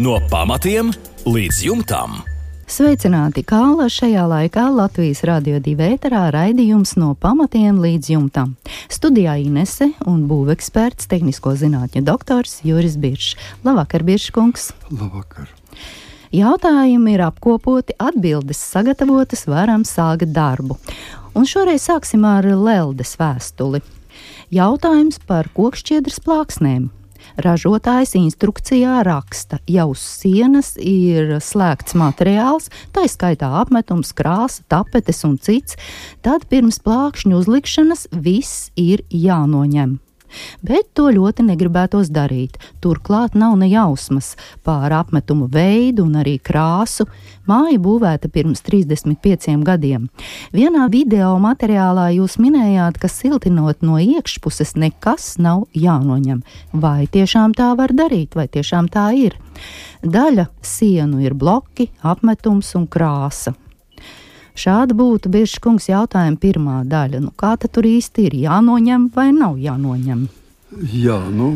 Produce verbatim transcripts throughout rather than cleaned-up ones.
No pamatiem līdz jumtam. Sveicināti, kā šajā laikā Latvijas Radio divi ēterā raidījums No pamatiem līdz jumtam. Studijā Inese un būveksperts, tehnisko zinātņu doktors Juris Biršs. Labvakar, Birškungs! Labvakar! Jautājumi ir apkopoti, atbildes sagatavotas, varam sākt darbu. Un šoreiz sāksim ar Leldes vēstuli. Jautājums par kokšķiedras plāksnēm. Ražotājs instrukcijā raksta, ja uz sienas ir slēgts materiāls, tā skaitā apmetums, krāsa, tapetes un cits, tad pirms plākšņu uzlikšanas viss ir jānoņem. Bet to ļoti negribētos darīt. Turklāt nav ne jausmas pār apmetumu veidu un arī krāsu. Māja būvēta pirms trīsdesmit pieciem gadiem. Vienā video materiālā jūs minējāt, ka siltinot no iekšpuses nekas nav jānoņem. Vai tiešām tā var darīt, vai tiešām tā ir? Daļa sienu ir bloki, apmetums un krāsa. Šāda būtu Birškungs jautājuma pirmā daļa. Nu, kā tad tur īsti ir? Jānoņem vai nav jānoņem? Jā, nu,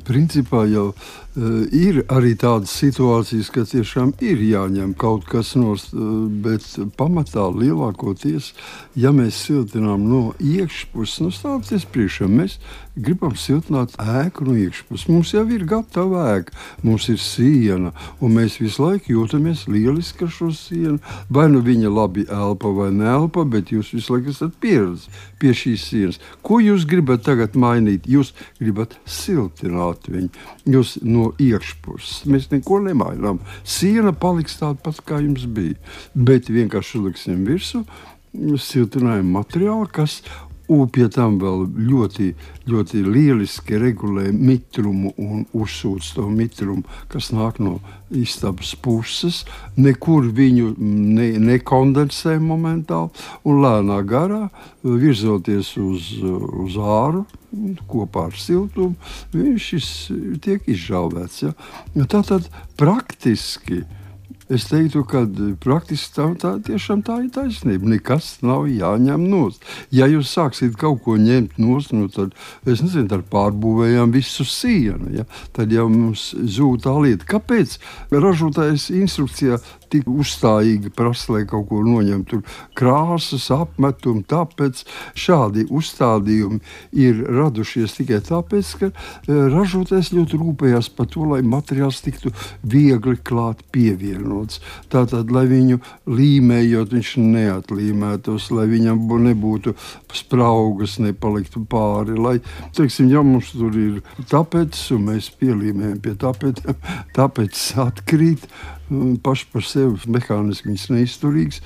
principā jau uh, ir arī tādas situācijas, ka tiešām ir jāņem kaut kas nost, uh, bet pamatā lielākoties, ja mēs siltinām no iekšpuses, nu stāvoties priekšā, mēs gribam siltināt ēku no iekšpuses. Mums jau ir gatava ēka, mums ir siena, un mēs visu laiku jūtamies lieliski ar šo sienu. Vai nu viņa labi elpa vai neelpa, bet jūs visu laiku esat pieredzi pie šīs sienas. Ko jūs gribat tagad mainīt? Jūs gribat siltināt viņu. Jūs no iekšpuses. Mēs neko nemainām. Siena paliks tāda pat, kā jums bija. Bet vienkārši uzliksim virsū siltinājumu materiālu, kas un pie tam vēl ļoti, ļoti lieliski regulē mitrumu un uzsūc to mitrumu, kas nāk no istabas puses. Nekur viņu ne, nekondensē momentāli un lēnā garā, virzoties uz, uz āru, kopā ar siltumu, viņš tiek izžāvēts. Ja? Tātad praktiski es teiktu, ka praktiski tā, tā tiešām tā ir taisnība. Nekas nav jāņem nost. Ja jūs sāksiet kaut ko ņemt nost, nu tad, es nezinu, tad pārbūvējām visu sienu, ja? Tad jau mums zūd tā lieta. Kāpēc ražotājs instrukcijā tik uzstājīgi prasa, lai kaut ko noņem? Tur krāsas, apmetumi, tāpēc šādi uzstādījumi ir radušies tikai tāpēc, ka ražotājs ļoti rūpējās par to, lai materiāls tiktu viegli klāt pievienots. Tātad, lai viņu līmējot, viņš neatlīmētos, lai viņam nebūtu spraugas, nepaliktu pāri, lai, teiksim, ja mums tur ir tāpēc, un mēs pielīmējam pie tāpēc, tāpēc atkrīt, paši par sevi mehāniski viņas neizturīgs,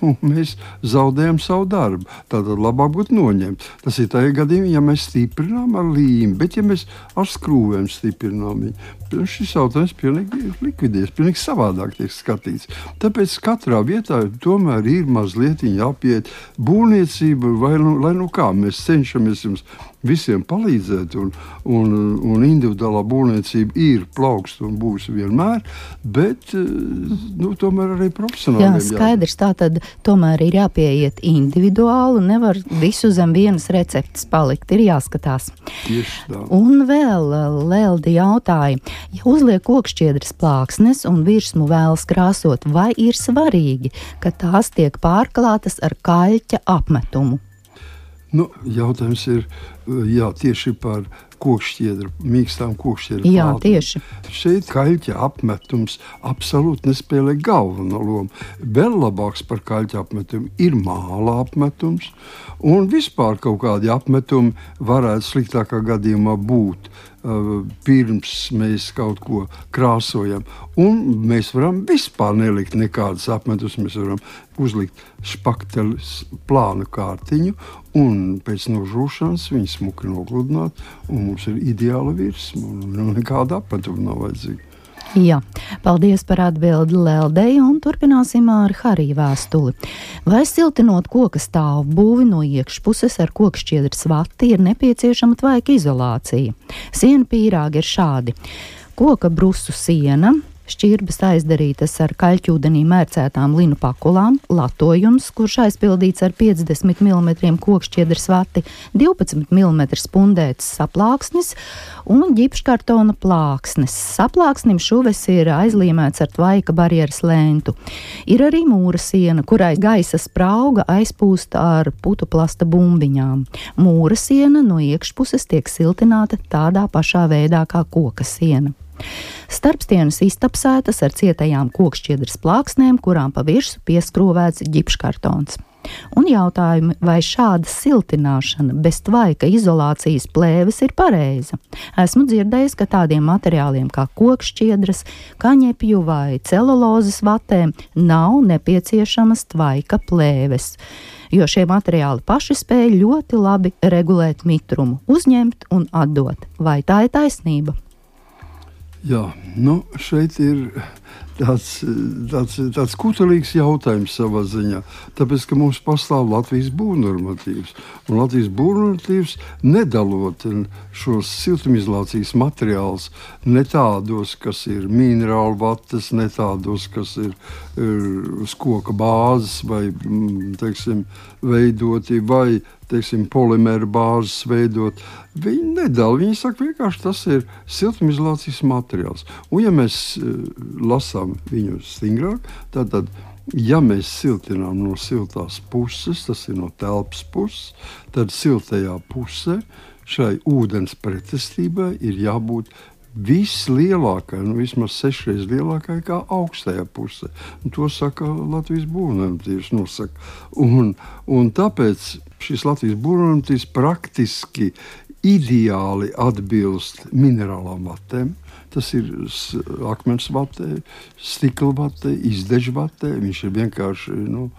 un mēs zaudējam savu darbu. Tātad labāk būtu noņemt. Tas ir tajā gadījumā, ja mēs stiprinām ar līmi, bet ja mēs ar skrūvēm stiprinām viņu, šis jautājums pilnīgi likvidēs, pilnīgi savādāk tiek skatīts. Tāpēc katrā vietā tomēr ir mazliet jāpiet būvniecība, vai nu, lai nu kā, mēs cenšamies jums visiem palīdzēt, un, un, un individuālā būvniecība ir plaukst un būs vienmēr, bet nu, tomēr arī profesionāliem. Jā, skaidrs, tā tad tomēr ir jāpieiet individuāli, nevar visu zem vienas receptes palikt, ir jāskatās. Tieši tā. Un vēl Leldi jautāja, ja uzliek kokšķiedras plāksnes un virsmu vēlas krāsot, vai ir svarīgi, ka tās tiek pārklātas ar kaļķa apmetumu? Nu, jautājums ir, jā, tieši par kokšķiedru, mīkstām kokšķiedru Jā, plātnēm. tieši. Šeit kaļķa apmetums absolūti nespēlē galveno lomu. Vēl labāks par kaļķa apmetumu ir māla apmetums, un vispār kaut kādi apmetumi varētu sliktākā gadījumā būt uh, pirms mēs kaut ko krāsojam. Un mēs varam vispār nelikt nekādas apmetus, mēs varam uzlikt špakteles plānu kārtiņu, un pēc nožūšanas viņu smuki nogludināt, un mums ir ideāla virsma, un nekāda apmetuma nav vajadzīga. Jā, paldies par atbildi Leldei, un turpināsim ar Hariju vēstuli. Vai siltinot koka stāvbūvi no iekšpuses ar kokšķiedras vati ir nepieciešama tvaika izolācija? Siena pīrāgi ir šādi. Koka brusu siena, šķirbas aizdarītas ar kaļķūdenī mērcētām linu pakulām, latojums, kurš aizpildīts ar piecdesmit milimetru kokšķiedras vati, divpadsmit milimetru spundēts saplāksnis un ģipškartona plāksnes. Saplāksnim šuves ir aizlīmēts ar tvaika barjeras lentu. Ir arī mūra siena, kurai gaisa sprauga aizpūst ar putuplasta bumbiņām. Mūra siena no iekšpuses tiek siltināta tādā pašā veidā kā koka siena. Starpstienas iztapsētas ar cietajām kokšķiedras plāksnēm, kurām pa virsmu pieskrūvēts ģipškartons. Un jautājumi, vai šāda siltināšana bez tvaika izolācijas plēves ir pareiza? Esmu dzirdējis, ka tādiem materiāliem kā kokšķiedras, kaņepju vai celulozes vatēm nav nepieciešamas tvaika plēves, jo šie materiāli paši spēj ļoti labi regulēt mitrumu, uzņemt un atdot. Vai tā ir taisnība? Jā, nu šeit ir tāds, tāds, tāds kutelīgs jautājums savā ziņā, tāpēc, ka mums pastāv Latvijas būvnormatīvs, un Latvijas būvnormatīvs nedalot šos siltumizolācijas materiālus ne tādos, kas ir minerālu vatas, ne tādos, kas ir, ir uz koka bāzes vai, teiksim, veidoti, vai teiksim, polimēra bāzes veidot. Viņi nedala, viņi saka vienkārši, tas ir siltumizolācijas materiāls. Un ja mēs uh, lasām viņu stingrāk, tad, tad, ja mēs siltinām no siltās puses, tas ir no telpas puses, tad siltajā pusē šai ūdens pretestībai ir jābūt vislielākai, nu vismaz sešreiz lielākai kā augstajā pusē. Un to saka Latvijas būvnormatīvs nosaka. Un, un tāpēc šis Latvijas būvnormatīvs praktiski ideāli atbilst minerālām vatēm. Tas ir akmens vatē, stikla vatē, izdežu vatē. Viņš ir vienkārši nu,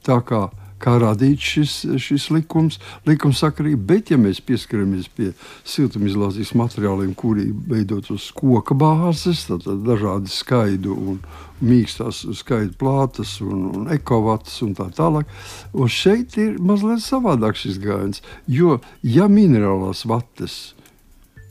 tā kā kā radīts šis, šis likums, likumsakarība, bet ja mēs pieskaramies pie siltumizolācijas materiāliem, kuri veidot uz koka bāzes, tad dažādi skaidu un mīkstās skaidu plātas un, un ekovatas un tā tālāk, un šeit ir mazliet savādāk šis gājiens, jo ja minerālās vates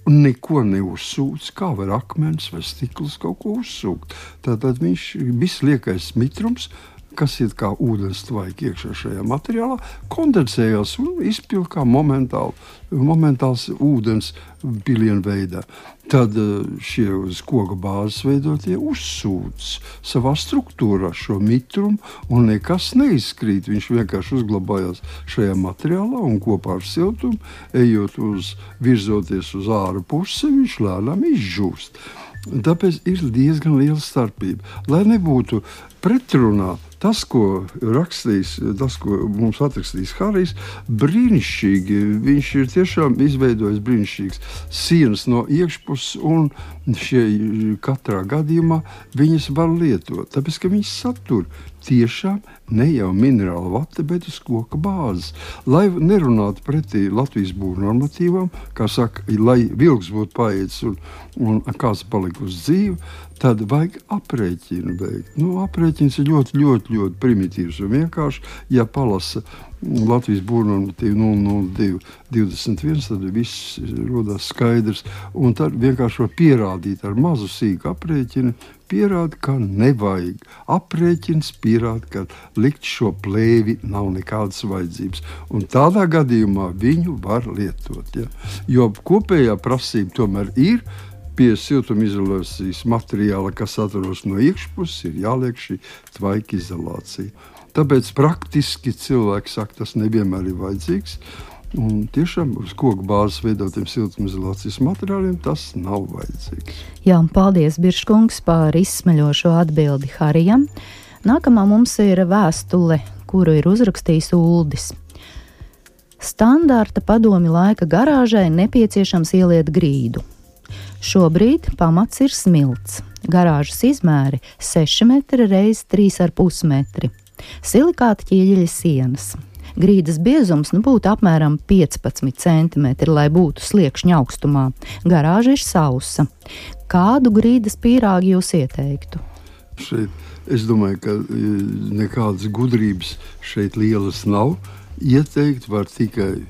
neko neuzsūc, kā var akmens vai stikls kaut ko uzsūkt, tātad viņš viss liekais mitrums, kas ir kā ūdens tvaiki iekšā šajā materiālā, kondensējās un izpilda kā momentāli, momentāls ūdens pilienu veidā. Tad šie uz koka bāzes veidotie uzsūc savā struktūrā šo mitrumu un nekas neizkrīt. Viņš vienkārši uzglabājās šajā materiālā un kopā ar siltumu, ejot uz, virzoties uz āra pusi, viņš lēnām izžūst. Tāpēc ir diezgan liela starpība. Lai nebūtu pretrunā tas, ko rakstīs, tas, ko mums atrakstīs Harijs, brīnišķīgi. Viņš ir tiešām izveidojis brīnišķīgas sienas no iekšpuses, un šie katrā gadījumā viņas var lietot. Tāpēc, ka viņas satur tiešām ne jau minerāla vate, bet uz koka bāzes. Lai nerunātu pretī Latvijas būvnormatīvām, kā saka, lai vilks būtu paēdis un, un kāds palika uz dzīvi, tad vajag aprēķinu veikt. Nu, aprēķins ir ļoti, ļoti, ļoti primitīvs un vienkārši, ja palasa Latvijas būvnormatīvu nulle nulle divi divdesmit viens, tad viss rodās skaidrs, un tad vienkārši var pierādīt ar mazu sīku aprēķinu, pierāda, ka nevajag. Aprēķins pierāda, ka likt šo plēvi nav nekādas vajadzības, un tādā gadījumā viņu var lietot. Ja? Jo kopējā prasība tomēr ir, pie siltumizolācijas materiāla, kas atrodas no iekšpuses, ir jāliek šī tvaika izolācija. Tāpēc praktiski cilvēki saka, tas nevienmēr ir vajadzīgs. Un tiešām uz koka bāzes veidotiem siltumizolācijas materiāliem tas nav vajadzīgs. Jā, paldies, Birškungs, par izsmeļošo atbildi Harijam. Nākamā mums ir vēstule, kuru ir uzrakstījis Uldis. Standarta padomju laika garāžai nepieciešams ieliet grīdu. Šobrīd pamats ir smilts. Garāžas izmēri seši metri reiz trīs ar pus metri. Silikāta ķieģeļa sienas. Grīdas biezums nu būtu apmēram piecpadsmit centimetri, lai būtu sliekšņa augstumā. Garāža ir sausa. Kādu grīdas pīrāgu jūs ieteiktu? Šeit es domāju, ka nekādas gudrības šeit lielas nav. Ieteikt var tikai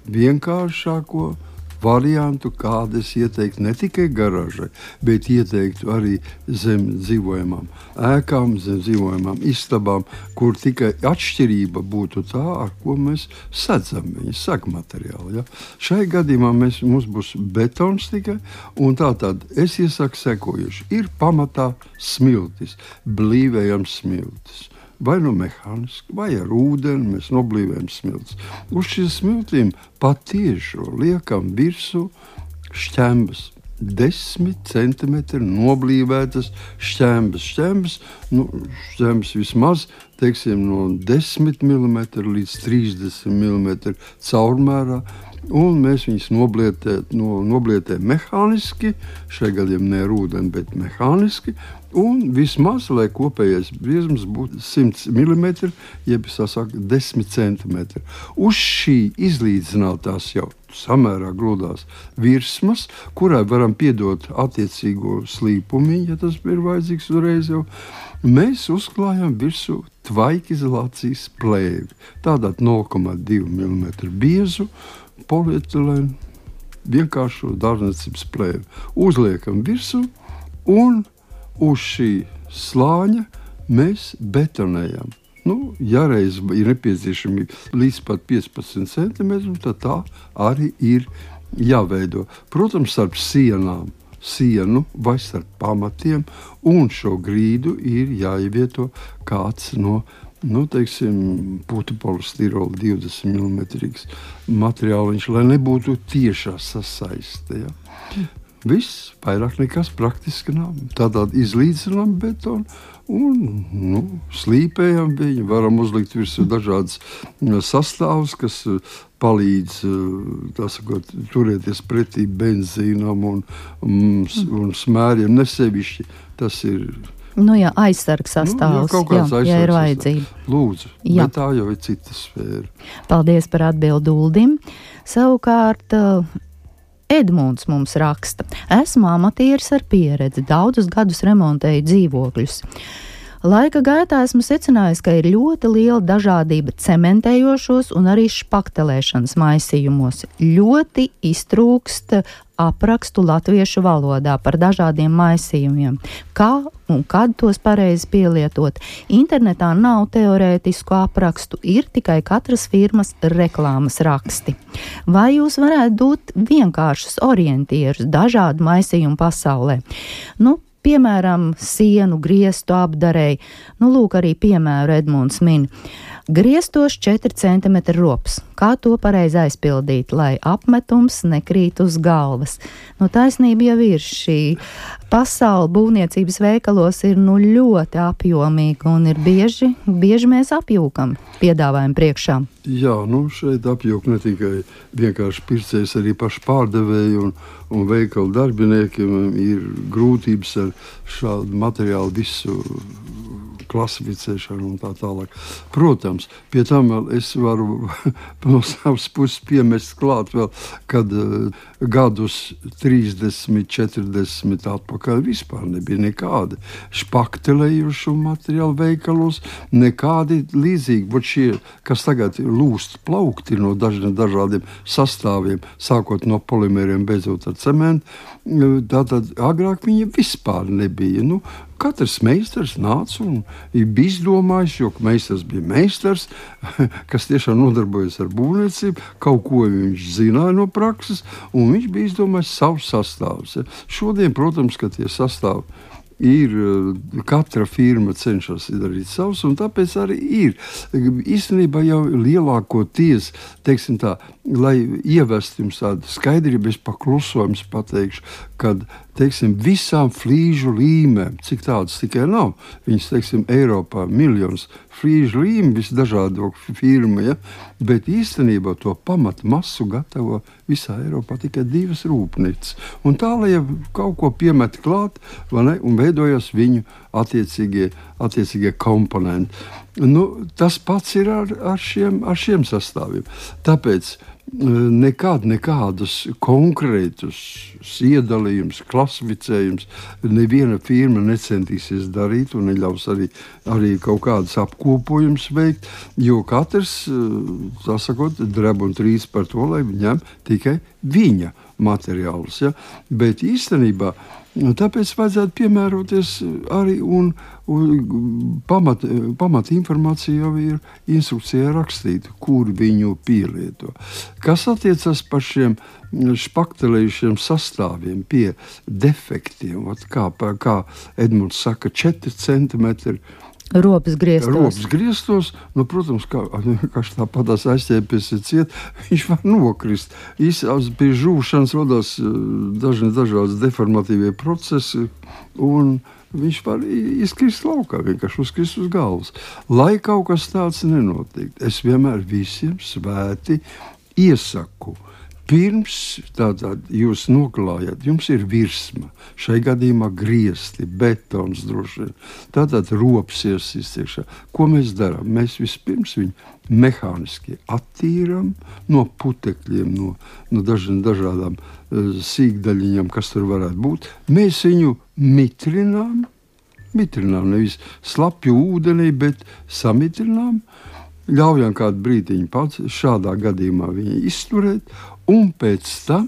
vienkāršāko variantu, kādu es ieteiktu ne tikai garāžai, bet ieteiktu arī zem dzīvojamām ēkām, zem dzīvojamām istabām, kur tikai atšķirība būtu tā, ar ko mēs sedzam viņas sagmateriāli. Ja? Šai gadījumā mēs, mums būs betons tikai, un tā tad es iesaku sekojuši. Ir pamatā smiltis, blīvējams smiltis. Vai nu mehāniski, vai ar ūdeni mēs noblīvējam smiltis. Uz šiem smiltīm patiešo liekam virsū šķembas. Desmit centimetri noblīvētas šķembas. Šķembas, nu, šķembas vismaz, teiksim, no desmit milimetru līdz trīsdesmit milimetru caurmērā. Un mēs viņus noblietējam no, noblietē mehāniski, šajā gadījumā ne ar ūdeni, bet mehāniski. Un vismaz, lai kopējais briezums būtu simt milimetri, jeb sasaka desmit centimetri. Uz šī izlīdzinātās jau samērā grūdās virsmas, kurai varam piedot attiecīgo slīpumiņu, ja tas ir vajadzīgs uzreiz jau, mēs uzklājam virsū tvaikizolācijas plēvi. Tātad nulle komats divi milimetri biezu polietilēnu vienkāršo dārzniecības plēvi. Uzliekam virsū un uz šī slāņa mēs betonējam. Nu, ja reiz ir nepieciešami līdz pat piecpadsmit centimetri, tad tā arī ir jāveido. Protams, starp sienām, sienu vai starp pamatiem, un šo grīdu ir jāievieto kāds no, nu, teiksim, putupolistirola divdesmit milimetrīgs materiāliņš, lai nebūtu tiešā sasaiste. Ja? Viss, vairāk nekas praktiski nav. Tādā izlīdzinām betonu un nu, slīpējam viņu. Varam uzlikt virsū dažādas sastāvus, kas palīdz sakot, turēties pretī benzīnam un, un, un smēriem. Nesevišķi tas ir. Nu jā, aizsargs sastāvs, nu, jā, jā, ja ir vajadzība. Lūdzu, jā. Bet tā jau ir cita sfēra. Paldies par atbildu Uldim. Savukārt Edmunds mums raksta: esmu amatieris ar pieredzi, daudzus gadus remontēju dzīvokļus. Laika gaitā esmu secinājis, ka ir ļoti liela dažādība cementējošos un arī špaktelēšanas maisījumos. Ļoti iztrūkst aprakstu latviešu valodā par dažādiem maisījumiem. Kā un kad tos pareizi pielietot? Internetā nav teorētisku aprakstu, ir tikai katras firmas reklāmas raksti. Vai jūs varētu dot vienkāršus orientierus dažādu maisījumu pasaulē? Nu, piemēram, sienu griestu apdarēji. Nu, lūk, arī piemēru Edmunds min. Griestos četri centimetri rops. Kā to pareizi aizpildīt, lai apmetums nekrīt uz galvas? Nu, taisnība jau ir šī pasaule būvniecības veikalos ir nu ļoti apjomīga un ir bieži, bieži mēs apjūkam piedāvājumu priekšā. Jā, nu šeit apjūk ne tikai vienkārši pircējs, arī paši pārdevēji un, un veikalu darbiniekiem ir grūtības ar šādu materiālu visu klasificēšanu un tā tālāk. Protams, pie tam vēl es varu no savas puses piemest klāt vēl, kad uh, gadus trīsdesmit, četrdesmit atpakaļ vispār nebija nekādi špaktelējušu materiālu veikalos, nekādi līdzīgi, bet šie, kas tagad lūst plaukti no dažiem dažādiem sastāviem, sākot no polimeriem, beidzot ar cementu, tātad agrāk viņa vispār nebija. Nu, katrs meistars nāca un bija izdomājis, jo meistars bija meistars, kas tiešām nodarbojas ar būvniecību, kaut ko viņš zināja no prakses, un viņš bija izdomājis savus sastāvus. Ja. Šodien, protams, ka tie sastāvi ir, katra firma cenšas darīt savus, un tāpēc arī ir. Īstenībā jau lielākoties, teiksim tā, lai ievestu jums tādu skaidrību, es paklusojums pateikšu, kad, teiksim, visām flīžu līmēm, cik tādas tikai nav, viņas, teiksim, Eiropā miljonus flīžu līmi, visdažādo firma, ja? Bet īstenībā to pamatu masu gatavo visā Eiropā tikai divas rūpnīcas. Un tā, lai jau kaut ko piemet klāt, vai ne, un veidojas viņu attiecīgie, attiecīgie komponenti. Nu, tas pats ir ar, ar, šiem, ar šiem sastāviem. Tāpēc nekad nekādus konkrētus iedalījumus, klasificējumus neviena firma necentīsies darīt un neļaus arī, arī kaut kādus apkopojumus veikt, jo katrs, tā sakot, dreb un trīs par to, lai ņem tikai viņa materiālus. Ja? Bet īstenībā tāpēc vajadzētu piemēroties arī un, un pamat, pamat informācija jau ir instrukcijā rakstīta, kur viņu pielieto. Kas attiecas par šiem špaktelējušiem sastāviem pie defektiem, kā, kā Edmunds saka, četri centimetri ropas griestos. Ropas griestos, nu, protams, kā, kā tāpatās aizķēpies ir ciet, viņš var nokrist. Īsās pie žūšanas rodās dažni dažādas deformatīvie procesi, un viņš var izkrist laukā, vienkārši uzkrist uz galvas. Lai kaut kas tāds nenotiek, es vienmēr visiem svēti iesaku. Pirms tātad jūs noklājat, jums ir virsma, šai gadījumā griesti, betons droši vien, tātad ropas iesīstiekšā. Ko mēs darām? Mēs vispirms viņu mehāniski attīram no putekļiem, no, no dažiem dažādām uh, sīkdaļiņām, kas tur varētu būt. Mēs viņu mitrinām, mitrinām nevis slapju ūdenī, bet samitrinām, ļaujam kādu brīdiņu pats šādā gadījumā viņu izturēt, un pēc tam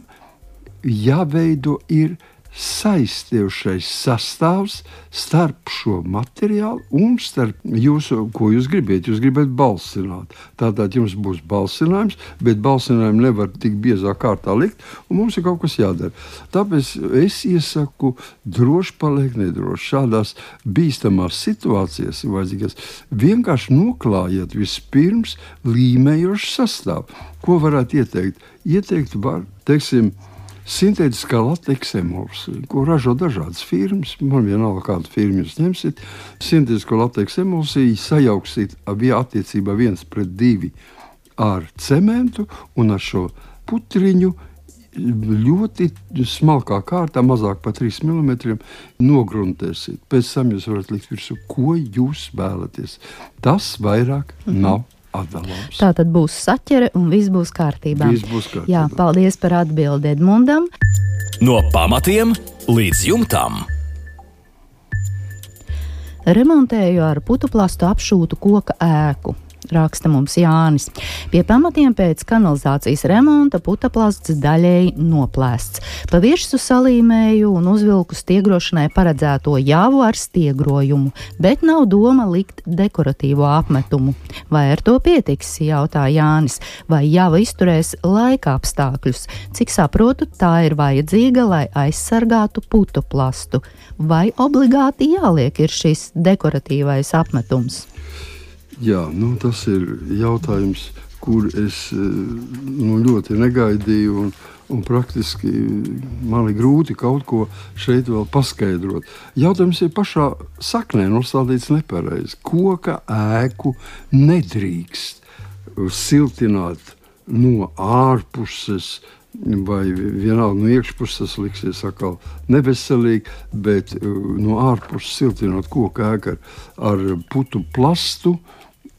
jāveido ir saistījušais sastāvs starp šo materiālu un starp jūsu, ko jūs gribat. Jūs gribat balsināt. Tātad jums būs balsinājums, bet balsinājumu nevar tik biezā kārtā likt, un mums ir kaut kas jādara. Tāpēc es iesaku droši paliek nedroši. Šādās bīstamās situācijas vajadzīgas vienkārši noklājiet vispirms līmējošu sastāvu. Ko varētu ieteikt? Ieteikt var, teiksim, sintētiskā lateksa emulsija, ko ražo dažādas firmas. Man vienalga, kādu firmu jūs ņemsiet. Sintētisko lateksa emulsiju sajauksiet attiecībā viens pret divi ar cementu un ar šo putriņu ļoti smalkā kārtā, mazāk par trīs milimetriem, nogruntēsiet. Pēc tam jūs varat likt virsū, ko jūs vēlaties. Tas vairāk mm-hmm. nav atdalāms. Tā tad būs saķere un viss būs kārtībā. Viss būs kārtībā. Jā, paldies par atbildi Edmundam. No pamatiem līdz jumtam. Remontēju ar putuplastu apšūtu koka ēku. Raksta mums Jānis. Pie pamatiem pēc kanalizācijas remonta putuplasts daļēji noplēsts. Pa virsmu salīmēju un uzvilku stiegrošanai paredzēto jāvu ar stiegrojumu, bet nav doma likt dekoratīvo apmetumu. Vai ar to pietiks, jautā Jānis, vai jāva izturēs laika apstākļus? Cik saprotu, tā ir vajadzīga, lai aizsargātu putuplastu. Vai obligāti jāliek ir šis dekoratīvais apmetums? Jā, nu, tas ir jautājums, kur es nu, ļoti negaidīju, un, un praktiski man ir grūti kaut ko šeit vēl paskaidrot. Jautājums ir pašā saknē nostādīts nepareizi. Koka ēku nedrīkst siltināt no ārpuses, vai vienalga no iekšpuses liksies atkal neveselīgi, bet no ārpuses siltinot koka ēku ar, ar putu plastu,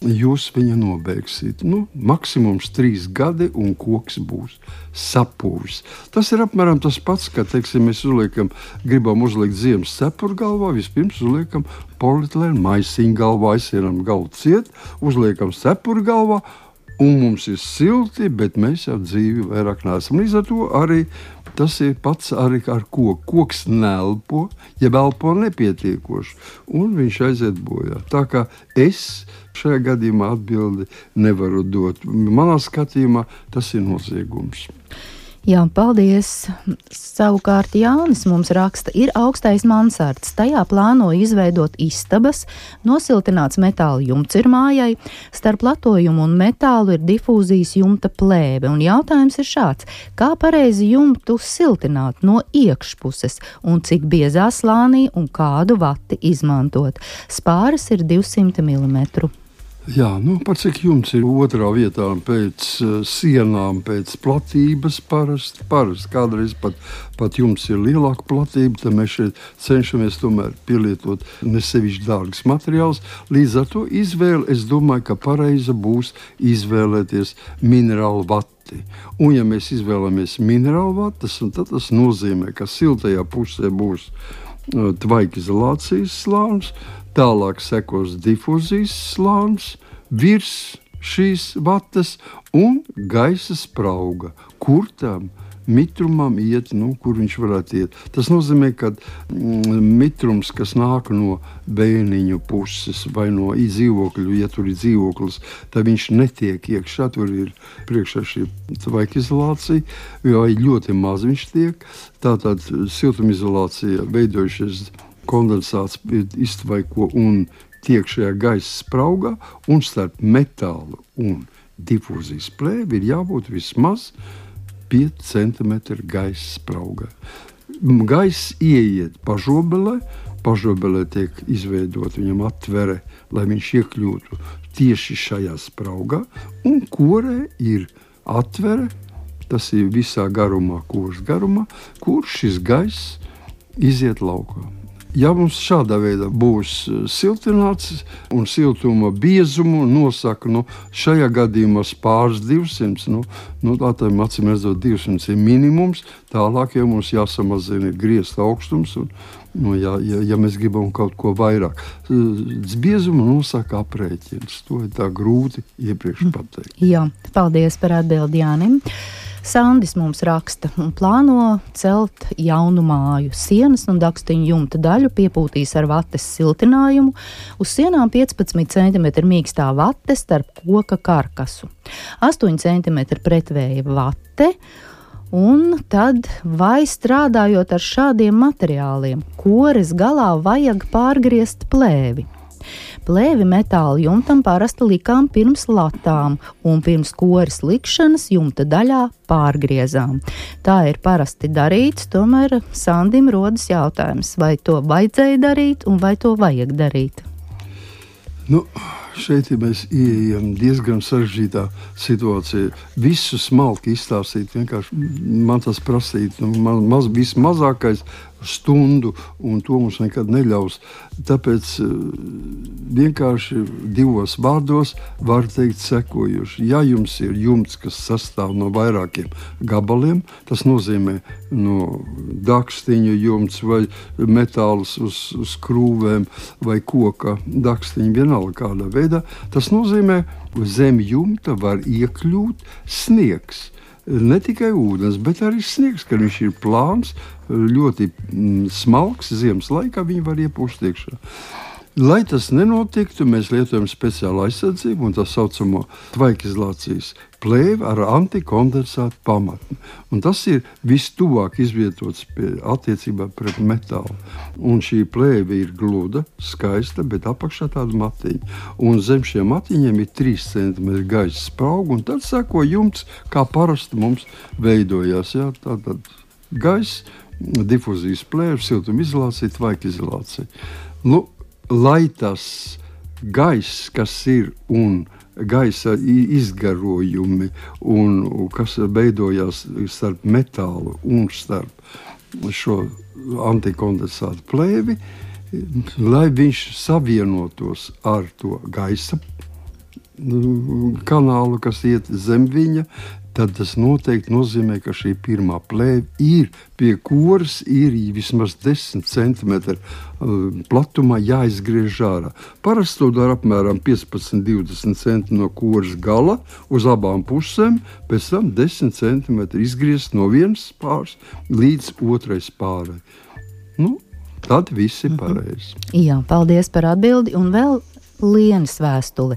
jūs viņu nobeigsiet. Nu, maksimums trīs gadi un koks būs sapūvis. Tas ir apmēram tas pats, ka, teiksim, mēs uzliekam, gribam uzliekt ziemas cepuru galvā, vispirms uzliekam polietilēnu maisiņu galvā, aizsienam galvu ciet, uzliekam cepuru galvā, un mums ir silti, bet mēs jau dzīvi vairāk neesam. Līdz ar to arī tas ir pats arī ar koku. Koks nelpo, ja elpo nepietiekoši, un viņš aiziet bojā. Tā kā es šajā gadījumā atbildi nevaru dot. Manā skatījumā tas ir noziegums. Jā, paldies. Savukārt Jānis mums raksta, ir augstais mansards. Tajā plāno izveidot istabas, nosiltināts metāla jumts ir mājai. Starp latojumu un metālu ir difūzijas jumta plēve. Un jautājums ir šāds, kā pareizi jumtu siltināt no iekšpuses un cik biezā slānī un kādu vati izmantot. Spāras ir divsimt milimetru. Jā, nu, par cik jums ir otrā vietā pēc uh, sienām, pēc platības parasti, parasti. Kādreiz pat, pat jums ir lielāka platība, tad mēs šeit cenšamies tomēr pielietot nesevišķi dārgas materiāls. Līdz ar to izvēle, es domāju, ka pareiza būs izvēlēties minerālu vati. vati. Un, ja mēs izvēlamies minerālu vatas, tad tas nozīmē, ka siltajā pusē būs uh, tvaikizolācijas slānis, tālāk sekos difuzijas slānis, virs šīs vatas un gaisa sprauga, kur tam mitrumam iet, nu, kur viņš varētu iet. Tas nozīmē, ka mm, mitrums, kas nāk no bēniņu puses vai no dzīvokļu, ja tur ir dzīvoklis, tad viņš netiek iekšā, tur ir priekšā šī tvaikizolācija, vai ļoti maz viņš tiek. Tātad siltumizolācija veidojušies kondensāts iztvaiko un tiek šajā gaisa spraugā, un starp metālu un difūzijas plēvi ir jābūt vismaz pieci centimetri gaisa spraugā. Gaiss ieiet pažobelē, pažobelē tiek izveidot viņam atvere, lai viņš iekļūtu tieši šajā spraugā, un korē ir atvere, tas ir visā garumā, koras garumā, kur šis gaiss iziet laukā. Ja mums šādā veidā būs siltināts un siltuma biezumu nosaka, nu, šajā gadījumā pāris divsimt, nu, nu tā tā acīm redzot divsimt ir minimums, tālāk jau mums jāsamazina griezta augstums, un, nu, ja, ja, ja mēs gribam kaut ko vairāk. Biezumu nosaka aprēķins, to ir tā grūti iepriekš pateikt. Jā, paldies par atbildi Jānim. Sandis mums raksta un plāno celt jaunu māju. Sienas un dakstiņu jumta daļu piepūtīs ar vates siltinājumu. Uz sienām piecpadsmit centimetri mīkstā vate starp koka karkasu. astoņi centimetri pretvēja vate. Un tad, vai strādājot ar šādiem materiāliem, kores galā vajag pārgriezt plēvi? Plēvi metāla jumtam parasti likām pirms latām un pirms koras likšanas jumta daļā pārgriezām. Tā ir parasti darīts, tomēr Sandim rodas jautājums, vai to vajadzēja darīt un vai to vajag darīt. Nu, šeit ja mēs ieejam diezgan sarežģītā situācijā. Visu smalki izstāstīt, vienkārši man tas prasīt, nu, maz, vismazākais stundu, un to mums nekad neļaus. Tāpēc vienkārši divos vārdos var teikt sekojuši. Ja jums ir jumts, kas sastāv no vairākiem gabaliem, tas nozīmē no dakstiņu jumts vai metāls uz, uz krūvēm vai koka dakstiņu, vienalga kādā veidā, tas nozīmē, zem jumta var iekļūt sniegs. Ne tikai ūdens, bet arī sniegs, kad viņš ir plāns, ļoti mm, smalks, ziemas laikā viņi var iepūst iekšā. Lai tas nenotiktu, mēs lietojam speciālu aizsardzību un tā saucamo tvaikizolācijas plēvi ar antikondensātu pamatni. Un tas ir vistuvāk izvietots pie, attiecībā pret metālu. Un šī plēve ir gluda, skaista, bet apakšā tāda matiņa. Un zem šiem matiņiem ir trīs centimetri gaisa sprauga, un tad seko jumts, kā parasti mums veidojās. Jā, tātad gaisa, difuzijas plēve, siltumizolācija, tvaikizolācija. Nu, lai tas gaiss, kas ir un gaisa izgarojumi, un kas veidojās starp metālu un starp šo antikondensātu plēvi, lai viņš savienotos ar to gaisa kanālu, kas iet zem viņa, tad tas noteikti nozīmē, ka šī pirmā plēve ir pie koras, ir vismaz desmit centimetri platumā jāizgriež ārā. Parasti to dara apmēram piecpadsmit līdz divdesmit centimetri no koras gala uz abām pusēm, pēc tam desmit centimetri izgriezt no vienas pārs līdz otrais pārai. Nu, tad viss ir pareizi. Jā, paldies par atbildi un vēl Lienas vēstuli.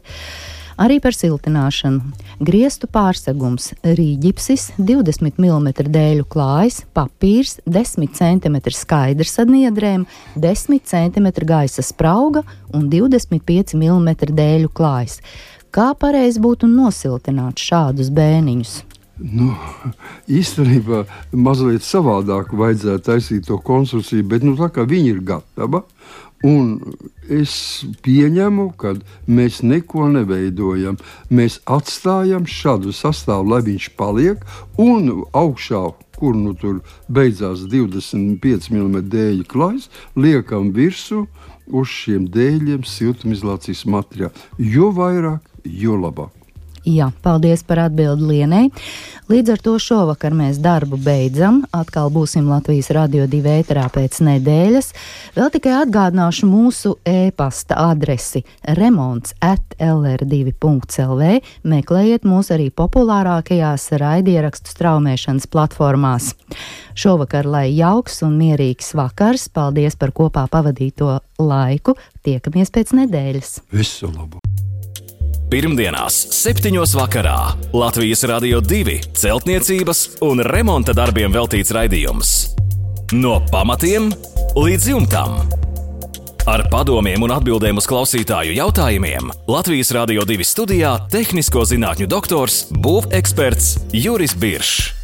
Arī par siltināšanu. Griestu pārsegums, rīģipsis, divdesmit milimetru dēļu klājs, papīrs, desmit centimetri skaidrs ar niedrēm, desmit centimetri gaisa sprauga un divdesmit pieci milimetri dēļu klājs. Kā pareizi būtu nosiltināt šādus bēniņus? Nu, īstenībā mazliet savādāk vajadzētu taisīt to konstrukciju, bet nu, tā kā viņa ir gatava, un es pieņemu, ka mēs neko neveidojam. Mēs atstājam šādu sastāvu, lai viņš paliek, un augšā, kur nu tur beidzās divdesmit pieci milimetri dēļu klājs, liekam virsū uz šiem dēļiem siltumizolācijas materiālu. Jo vairāk, jo labāk. Jā, paldies par atbildi Lienei. Līdz ar to šovakar mēs darbu beidzam. Atkal būsim Latvijas Radio divi ēterā pēc nedēļas. Vēl tikai atgādināšu mūsu e-pasta adresi remonts at l r divi punkt l v. Meklējiet mūs arī populārākajās raidierakstu straumēšanas platformās. Šovakar lai jauks un mierīgs vakars. Paldies par kopā pavadīto laiku. Tiekamies pēc nedēļas. Visu labu! Pirmdienās, septiņos vakarā Latvijas Radio divi celtniecības un remonta darbiem veltīts raidījums. No pamatiem līdz jumtam. Ar padomiem un atbildēm uz klausītāju jautājumiem Latvijas Radio divi studijā tehnisko zinātņu doktors, būveksperts Juris Biršs.